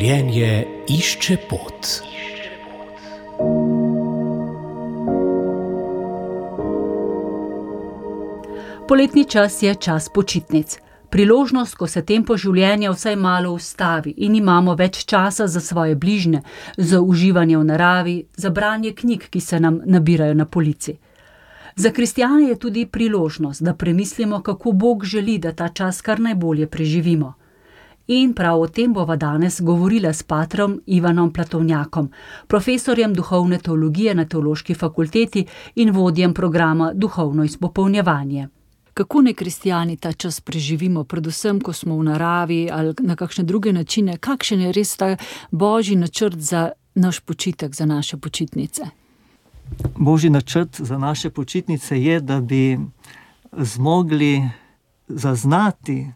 Življenje išče pot. Poletni čas je čas počitnic. Priložnost, ko se tempo življenja vsaj malo ustavi in imamo več časa za svoje bližnje, za uživanje v naravi, za branje knjig, ki se nam nabirajo na polici. Za kristjane je tudi priložnost, da premislimo, kako Bog želi, da ta čas kar najbolje preživimo. In prav o tem bova danes govorila s patrom Ivanom Platovnjakom, profesorjem duhovne teologije na Teološki fakulteti in vodjem programa Duhovno izpopolnjevanje. Kako naj kristjani ta čas preživimo, predvsem, ko smo v naravi ali na kakšne druge načine? Kakšen je res ta Božji načrt za naš počitek, za naše počitnice? Božji načrt za naše počitnice je, da bi zmogli zaznati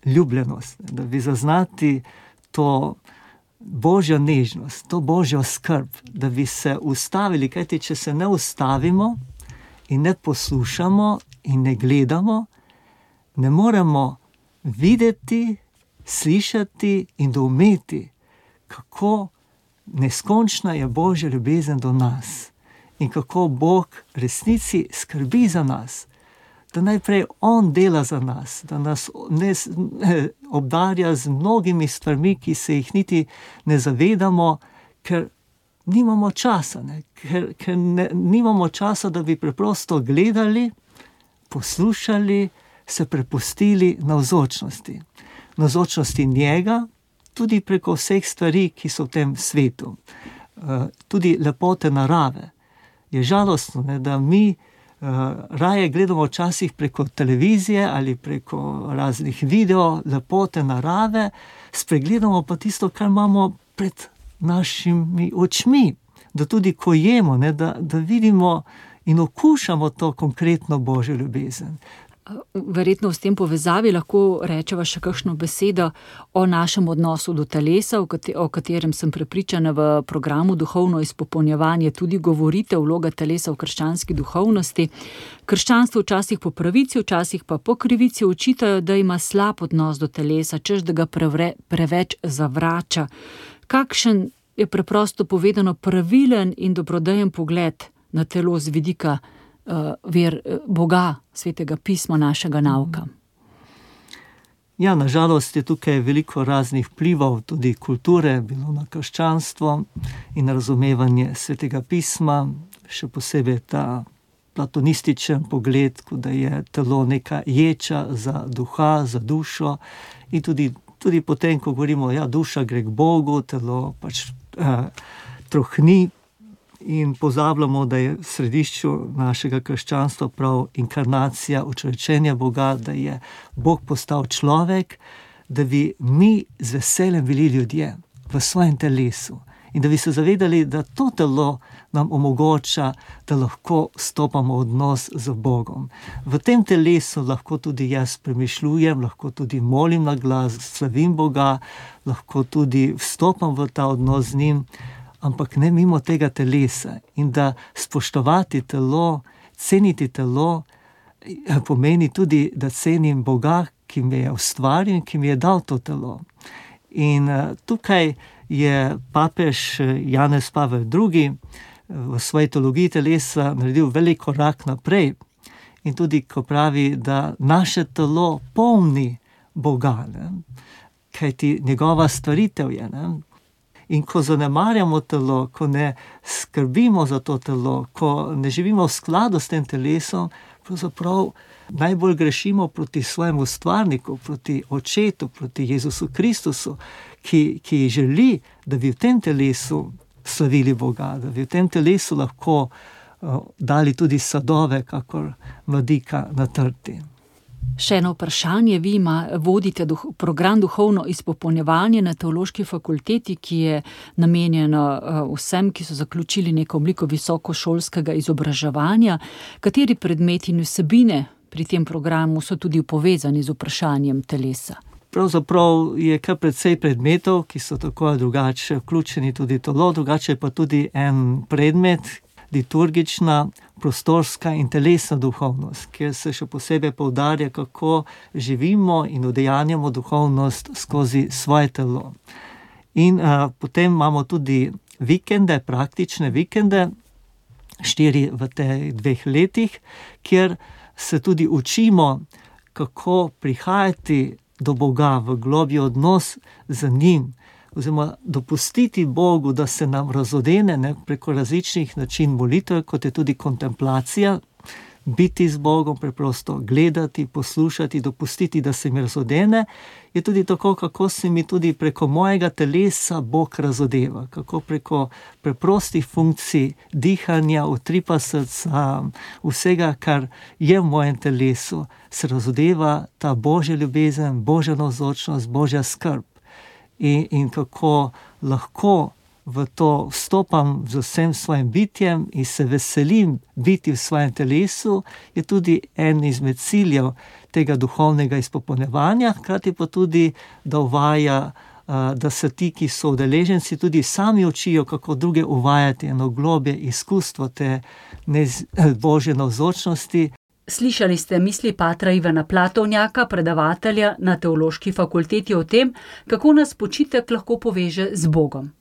ljubljenost, da bi zaznati to Božjo nežnost, to Božjo skrb, da bi se ustavili, kajti če se ne ustavimo in ne poslušamo in ne gledamo, ne moremo videti, slišati in doumeti, kako neskončna je Božja ljubezen do nas in kako Bog resnici skrbi za nas, da najprej On dela za nas, da nas obdarja z mnogimi stvarmi, ki se jih niti ne zavedamo, ker nimamo časa, ker nimamo časa, da bi preprosto gledali, poslušali, se prepustili navzočnosti njega, tudi preko vseh stvari, ki so v tem svetu. Tudi lepote narave. Je žalostno, da mi raje gledamo včasih preko televizije ali preko raznih video, lepote narave, spregledamo pa tisto, kar imamo pred našimi očmi. Da tudi ko jemo, da vidimo in okušamo to konkretno Božjo ljubezen. Verjetno v tem povezavi lahko rečeva še kakšno besedo o našem odnosu do telesa, o katerem sem prepričana v programu Duhovno izpopolnjevanje tudi govorite, vloga telesa v krščanski duhovnosti. Krščanstvo včasih po pravici, včasih pa po krivici očitajo, da ima slab odnos do telesa, češ da ga preveč zavrača. Kakšen je preprosto povedano pravilen in dobrodejen pogled na telo z vidika ver Boga, Svetega pisma, našega nauka? Ja, nažalost je tukaj veliko raznih vplivov, tudi kulture, bilo na krščanstvo in razumevanje Svetega pisma, še posebej ta platonističen pogled, da je telo neka ječa za duha, za dušo in tudi potem, ko govorimo, ja, duša gre k Bogu, telo pač trohni, in pozabljamo, da je v središču našega krščanstva prav inkarnacija, učrečenje Boga, da je Bog postal človek, da bi mi z veseljem bili ljudje v svojem telesu in da bi se zavedali, da to telo nam omogoča, da lahko stopamo v odnos z Bogom. V tem telesu lahko tudi jaz premišljujem, lahko tudi molim na glas, slavim Boga, lahko tudi vstopam v ta odnos z njim, ampak ne mimo tega telesa. In da spoštovati telo, ceniti telo, pomeni tudi, da cenim Boga, ki me je ustvaril in ki mi je dal to telo. In tukaj je papež Janez Pavel II. V svoji teologiji telesa naredil velik korak naprej. In tudi, ko pravi, da naše telo pomni Boga, kajti njegova stvaritev je, In ko zanemarjamo telo, ko ne skrbimo za to telo, ko ne živimo v skladu s tem telesom, pravzaprav najbolj grešimo proti svojemu ustvarniku, proti Očetu, proti Jezusu Kristusu, ki želi, da bi v tem telesu slavili Boga, da bi v tem telesu lahko dali tudi sadove, kakor mladika na trti. Še eno vprašanje, vi vodite program Duhovno izpopolnjevanje na Teološki fakulteti, ki je namenjeno vsem, ki so zaključili neko obliko visokošolskega izobraževanja. Kateri predmeti in vsebine pri tem programu so tudi povezani z vprašanjem telesa? Pravzaprav je kar precej predmetov, ki so tako ali drugače vključeni tudi telo, drugače pa tudi en predmet, liturgična, prostorska in telesna duhovnost, kjer se še posebej poudarja, kako živimo in udejanjamo duhovnost skozi svoje telo. In potem imamo tudi vikende, praktične vikende, 4 v teh 2 letih, kjer se tudi učimo, kako prihajati do Boga v globlji odnos z njim, oziroma dopustiti Bogu, da se nam razodene preko različnih način molitev, kot je tudi kontemplacija, biti z Bogom, preprosto gledati, poslušati, dopustiti, da se mi razodene, je tudi tako, kako se mi tudi preko mojega telesa Bog razodeva, kako preko preprostih funkcij dihanja, utripa srca, vsega, kar je v mojem telesu, se razodeva ta Božja ljubezen, Božja navzočnost, Božja skrb. In kako lahko v to vstopam z vsem svojim bitjem in se veselim biti v svojem telesu, je tudi en izmed ciljev tega duhovnega izpopolnjevanja, hkrati pa tudi, da uvaja, da se ti, ki so udeleženci, tudi sami učijo, kako druge uvajati eno globje izkustvo te Božje navzočnosti. Slišali ste misli patra Ivana Platovnjaka, predavatelja na Teološki fakulteti o tem, kako nas počitek lahko poveže z Bogom.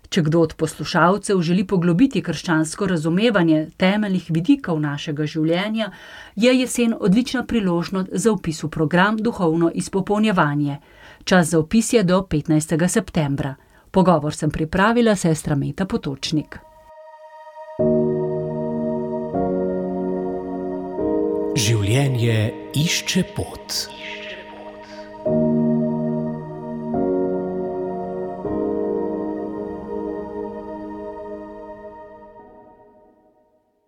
Če kdo od poslušalcev želi poglobiti krščansko razumevanje temeljnih vidikov našega življenja, je jesen odlična priložnost za vpis v program Duhovno izpopolnjevanje. Čas za vpis je do 15. septembra. Pogovor sem pripravila sestra Meta Potočnik. Življenje išče pot.